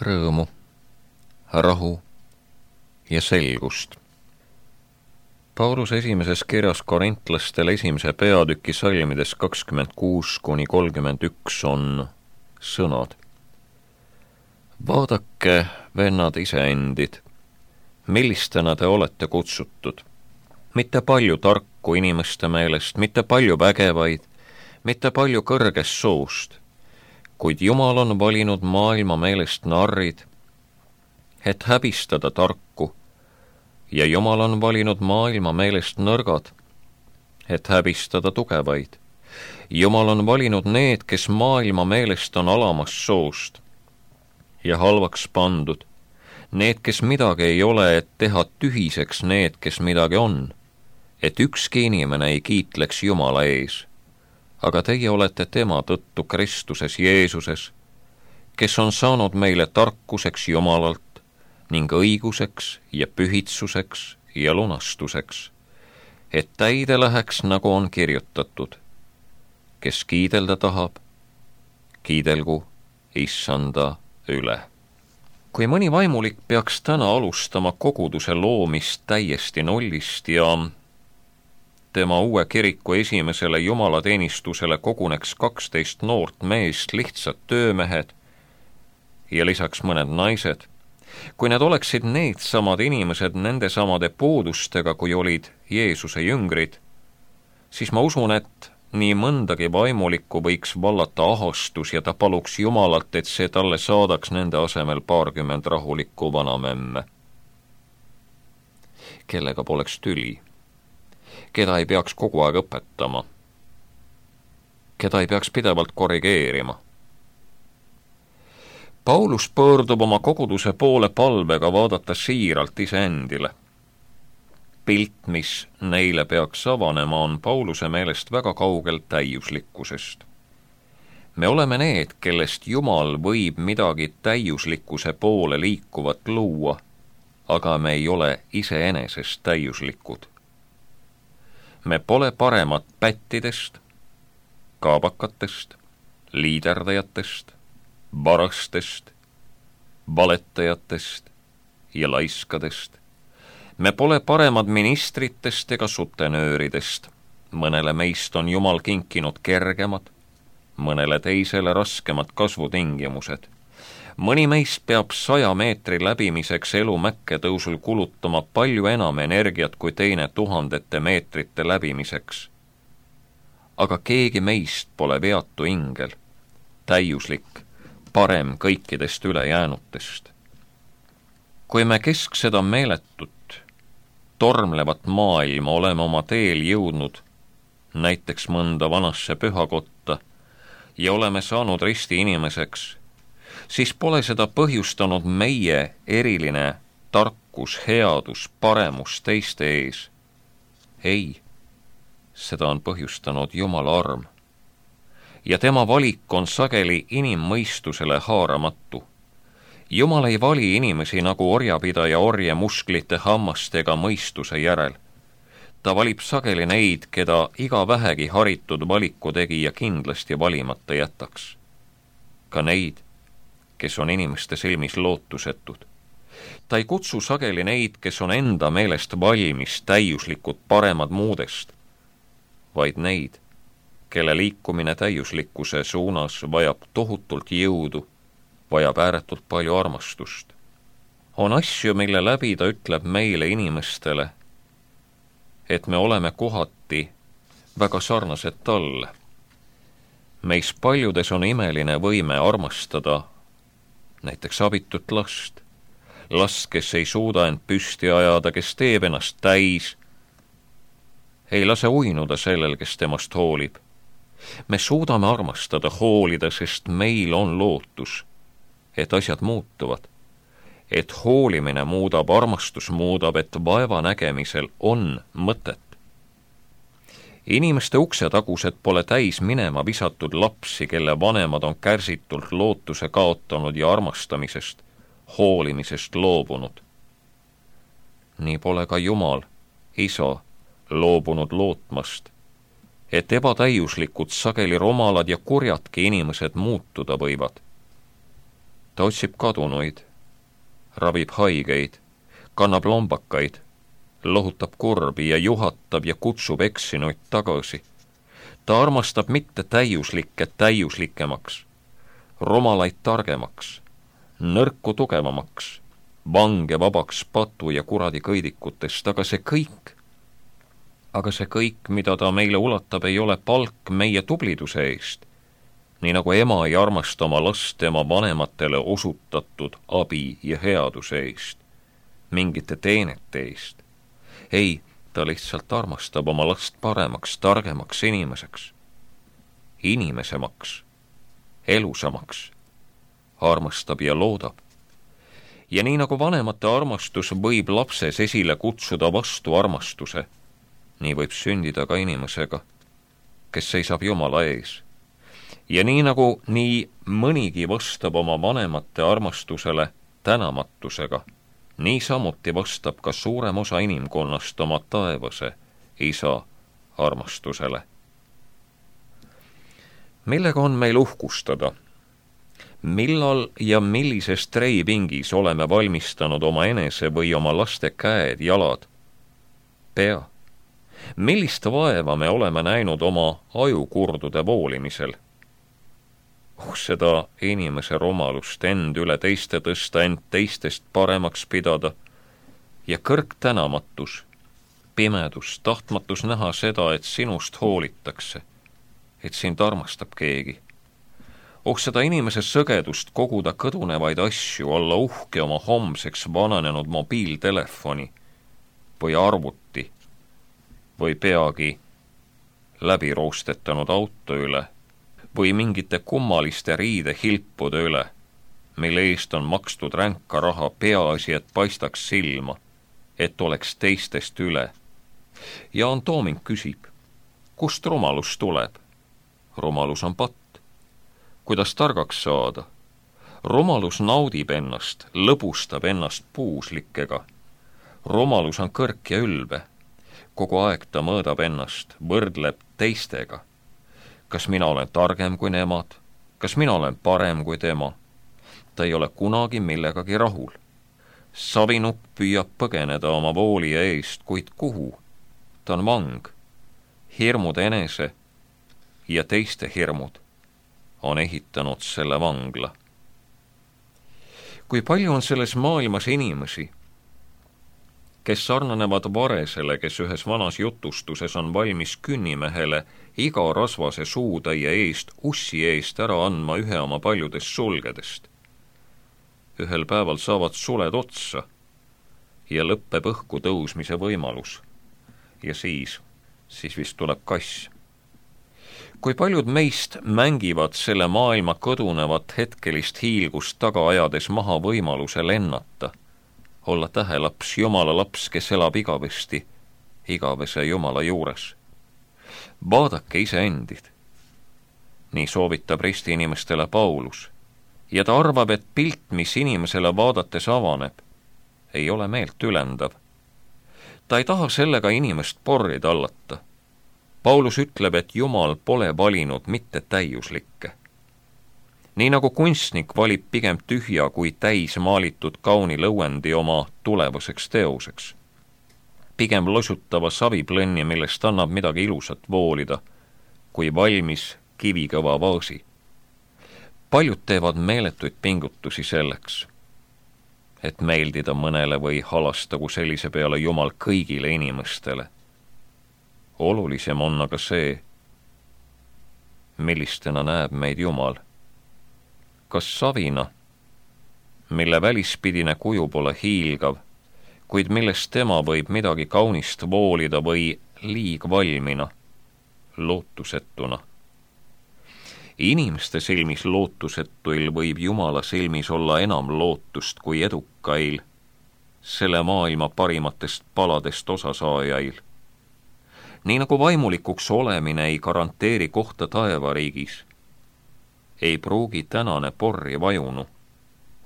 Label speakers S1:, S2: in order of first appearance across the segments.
S1: rõõmu, rahu ja selgust. Paulus esimeses kirjas korintlastele 1. peatüki salmides 26–31 on sõnad. Vaadake, vennad iseendid, millistena te olete kutsutud. Mitte palju tarku inimeste meelest, mitte palju vägevaid, mitte palju kõrgest soost, kuid Jumal on valinud maailma meelest narrid, et häbistada tarku, ja Jumal on valinud maailma meelest nõrgad, et häbistada tugevaid. Jumal on valinud need, kes maailma meelest on alamast soost ja halvaks pandud, need, kes midagi ei ole, et teha tühiseks need, kes midagi on, et ükski inimene ei kiitleks Jumala ees. Aga teie olete tema tõttu Kristuses Jeesuses, kes on saanud meile tarkuseks Jumalalt ning õiguseks ja pühitsuseks ja lunastuseks, et täide läheks, nagu on kirjutatud. Kes kiidelda tahab, kiidelgu Issanda üle. Kui mõni vaimulik peaks täna alustama koguduse loomist täiesti nullist ja tema uue kiriku esimesele jumalateenistusele koguneks 12 noort meest, lihtsad töömehed ja lisaks mõned naised, kui need oleksid needsamad inimesed nende samade puudustega, kui olid Jeesuse jüngrid, siis ma usun, et nii mõndagi vaimulikku võiks vallata ahastus ja ta paluks Jumalalt, et see talle saadaks nende asemel 20 rahulikku vanamemme, kellega poleks tüli, keda ei peaks kogu aeg õpetama, keda ei peaks pidevalt korrigeerima. Paulus pöördub oma koguduse poole palvega vaadata siiralt iseendile. Pilt, mis neile peaks avanema, on Pauluse meelest väga kaugel täiuslikkusest. Me oleme need, kellest Jumal võib midagi täiuslikkuse poole liikuvat luua, aga me ei ole iseenesest täiuslikud. Me pole paremad pättidest, kaabakatest, liiderdajatest, varastest, valetajatest ja laiskadest. Me pole paremad ministritest ega sutenööridest. Mõnele meist on Jumal kinkinud kergemad, mõnele teisele raskemad kasvutingimused. Mõni meist peab 100 meetri läbimiseks elu mäkketõusul kulutama palju enam energiat kui teine 1000 meetrite läbimiseks. Aga keegi meist pole veatu ingel, täiuslik, parem kõikidest ülejäänutest. Kui me keskseda meeletut, tormlevat maailma oleme oma teel jõudnud, näiteks mõnda vanasse pühakotta, ja oleme saanud risti inimeseks, siis pole seda põhjustanud meie eriline tarkus, headus, paremus teiste ees. Ei, seda on põhjustanud Jumala arm. Ja tema valik on sageli inimmõistusele haaramatu. Jumal ei vali inimesi nagu orjapidaja orje musklite, hammastega mõistuse järel. Ta valib sageli neid, keda iga vähegi haritud valikutegija kindlasti valimata jätaks. Ka neid, kes on inimeste silmis lootusetud. Ta ei kutsu sageli neid, kes on enda meelest valmis, täiuslikud, paremad muudest, vaid neid, kelle liikumine täiuslikkuse suunas vajab tohutult jõudu, vajab ääretult palju armastust. On asju, mille läbi ta ütleb meile inimestele, et me oleme kohati väga sarnased talle. Meis paljudes on imeline võime armastada näiteks abitut last, kes ei suuda end püsti ajada, kes teeb ennast täis, ei lase uinuda sellel, kes temast hoolib. Me suudame armastada, hoolida, sest meil on lootus, et asjad muutuvad, et hoolimine muudab, armastus muudab, et vaeva nägemisel on mõtet. Inimeste uksetagused pole täis minema visatud lapsi, kelle vanemad on kärsitult lootuse kaotanud ja armastamisest, hoolimisest loobunud. Nii pole ka Jumal, Isa, loobunud lootmast, et ebatäiuslikud, sageli romalad ja kurjadki inimesed muutuda võivad. Ta otsib kadunuid, ravib haigeid, kannab lombakaid, lohutab kurbi ja juhatab ja kutsub eksinuid tagasi. Ta armastab mitte täiuslikke täiuslikemaks, romalaid targemaks, nõrku tugevamaks, vange vabaks patu ja kuradi kõidikutest, aga see kõik, mida ta meile ulatab, ei ole palk meie tubliduse eest, nii nagu ema ei armasta oma last tema vanematele osutatud abi ja headuse eest, mingite teenete eest. Ei, ta lihtsalt armastab oma last paremaks, targemaks inimesemaks, elusamaks, armastab ja loodab. Ja nii nagu vanemate armastus võib lapses esile kutsuda vastu armastuse, nii võib sündida ka inimesega, kes seisab Jumala ees. Ja nii nagu nii mõnigi vastab oma vanemate armastusele tänamatusega, nii samuti vastab ka suurem osa inimkonnast oma taevase isa armastusele. Millega on meil uhkustada? Millal ja millises treipingis oleme valmistanud oma enese või oma laste käed, jalad, pea? Millist vaeva me oleme näinud oma ajukurdude voolimisel? Seda inimese rumalust end üle teiste tõsta, end teistest paremaks pidada ja kõrgtänamatus, pimedus, tahtmatus näha seda, et sinust hoolitakse, et sind armastab keegi. Seda inimese sõgedust koguda kõdunevaid asju, olla uhke oma homseks vananenud mobiiltelefoni või arvuti või peagi läbi roostetanud auto üle või mingite kummaliste riidehilpude üle, mille eest on makstud ränka raha, peaasi, et paistaks silma, et oleks teistest üle. Jaan Tooming küsib, kust rumalus tuleb? Rumalus on patt. Kuidas targaks saada? Rumalus naudib ennast, lõbustab ennast puuslikega. Rumalus on kõrk ja ülbe. Kogu aeg ta mõõdab ennast, võrdleb teistega. Kas mina olen targem kui nemad? Kas mina olen parem kui tema? Ta ei ole kunagi millegagi rahul. Savinup püüab põgeneda oma voolija eest, kuid kuhu? Ta on vang. Hirmud enese ja teiste hirmud on ehitanud selle vangla. Kui palju on selles maailmas inimesi, kes sarnanevad varesele, kes ühes vanas jutustuses on valmis künnimehele iga rasvase suutäie eest, ussi eest ära andma ühe oma paljudest sulgedest. Ühel päeval saavad suled otsa ja lõppeb õhku tõusmise võimalus. Ja siis vist tuleb kass. Kui paljud meist mängivad selle maailma kõdunevat hetkelist hiilgust taga ajades maha võimaluse lennata, olla tähelaps, Jumala laps, kes elab igavesti, igavese Jumala juures. Vaadake iseendid. Nii soovitab risti inimestele Paulus. Ja ta arvab, et pilt, mis inimesele vaadates avaneb, ei ole meelt ülendav. Ta ei taha sellega inimest porri tallata. Paulus ütleb, et Jumal pole valinud mitte täiuslikke. Nii nagu kunstnik valib pigem tühja kui täis maalitud kauni lõuendi oma tulevaseks teoseks. Pigem losutava saviplõnni, millest annab midagi ilusat voolida, kui valmis kivikõva vaasi. Paljud teevad meeletuid pingutusi selleks, et meeldida mõnele või halastagu sellise peale Jumal kõigile inimestele. Olulisem on aga see, millistena näeb meid Jumal. Kas savina, mille välispidine kuju pole hiilgav, kuid millest tema võib midagi kaunist voolida, või liigvalmina, lootusetuna. Inimeste silmis lootusetuil võib Jumala silmis olla enam lootust kui edukail, selle maailma parimatest paladest osasaajail. Nii nagu vaimulikuks olemine ei garanteeri kohta taevariigis, ei pruugi tänane porri vajunu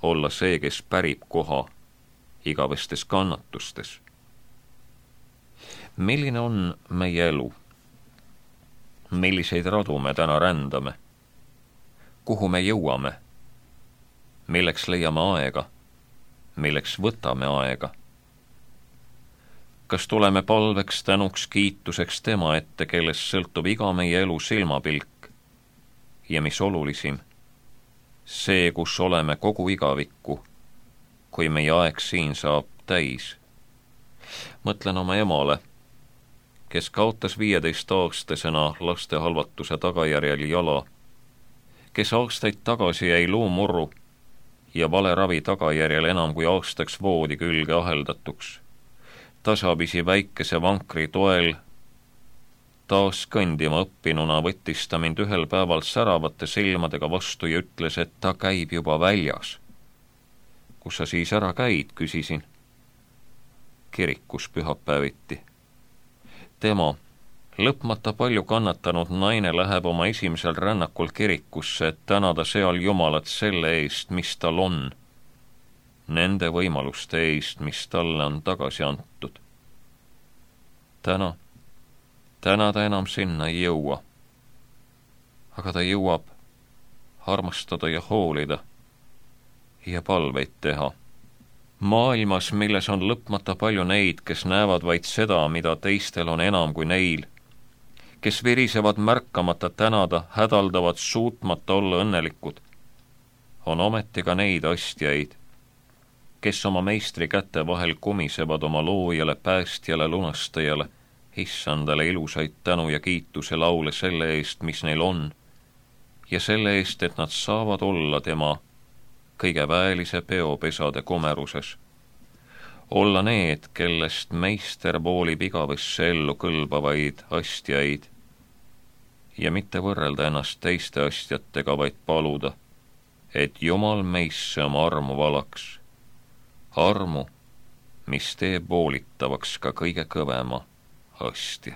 S1: olla see, kes pärib koha igavestes kannatustes. Milline on meie elu? Milliseid radu me täna rändame? Kuhu me jõuame? milleks leiame aega, milleks võtame aega. Kas tuleme palveks, tänuks, kiituseks tema ette, kellest sõltub iga meie elu silmapilk ja mis olulisim, see, kus oleme kogu igavikku, kui meie aeg siin saab täis. Mõtlen oma emale, kes kaotas 15-aastasena laste halvatuse tagajärjel jala, kes aastaid tagasi jäi luumurru ja valeravi tagajärjel enam kui aastaks voodi külge aheldatuks. Tasapisi väikese vankri toel taas kõndima õppinuna võttis ta mind ühel päeval säravate silmadega vastu ja ütles, et ta käib juba väljas. Kus sa siis ära käid, küsisin. Kirikus pühapäeviti. Tema, lõpmata palju kannatanud naine, läheb oma esimesel rännakul kirikusse, et tänada seal Jumalat selle eest, mis tal on. Nende võimaluste eest, mis talle on tagasi antud. Täna ta enam sinna ei jõua. Aga ta jõuab armastada ja hoolida ja palveid teha. Maailmas, milles on lõpmata palju neid, kes näevad vaid seda, mida teistel on enam kui neil, kes virisevad märkamata tänada, hädaldavad suutmata olla õnnelikud, on ometi ka neid astjaid, kes oma meistri käte vahel kumisevad oma loojale, päästjale, lunastajale, issandale ilusaid tänu ja kiituse laule selle eest, mis neil on, ja selle eest, et nad saavad olla tema kõige väelise peopesade komeruses. Olla need, kellest meister voolib igavesse ellu kõlbavaid astjaid ja mitte võrrelda ennast teiste astjatega, vaid paluda, et Jumal meisse oma armu valaks. Armu, mis teeb voolitavaks ka kõige kõvema astja.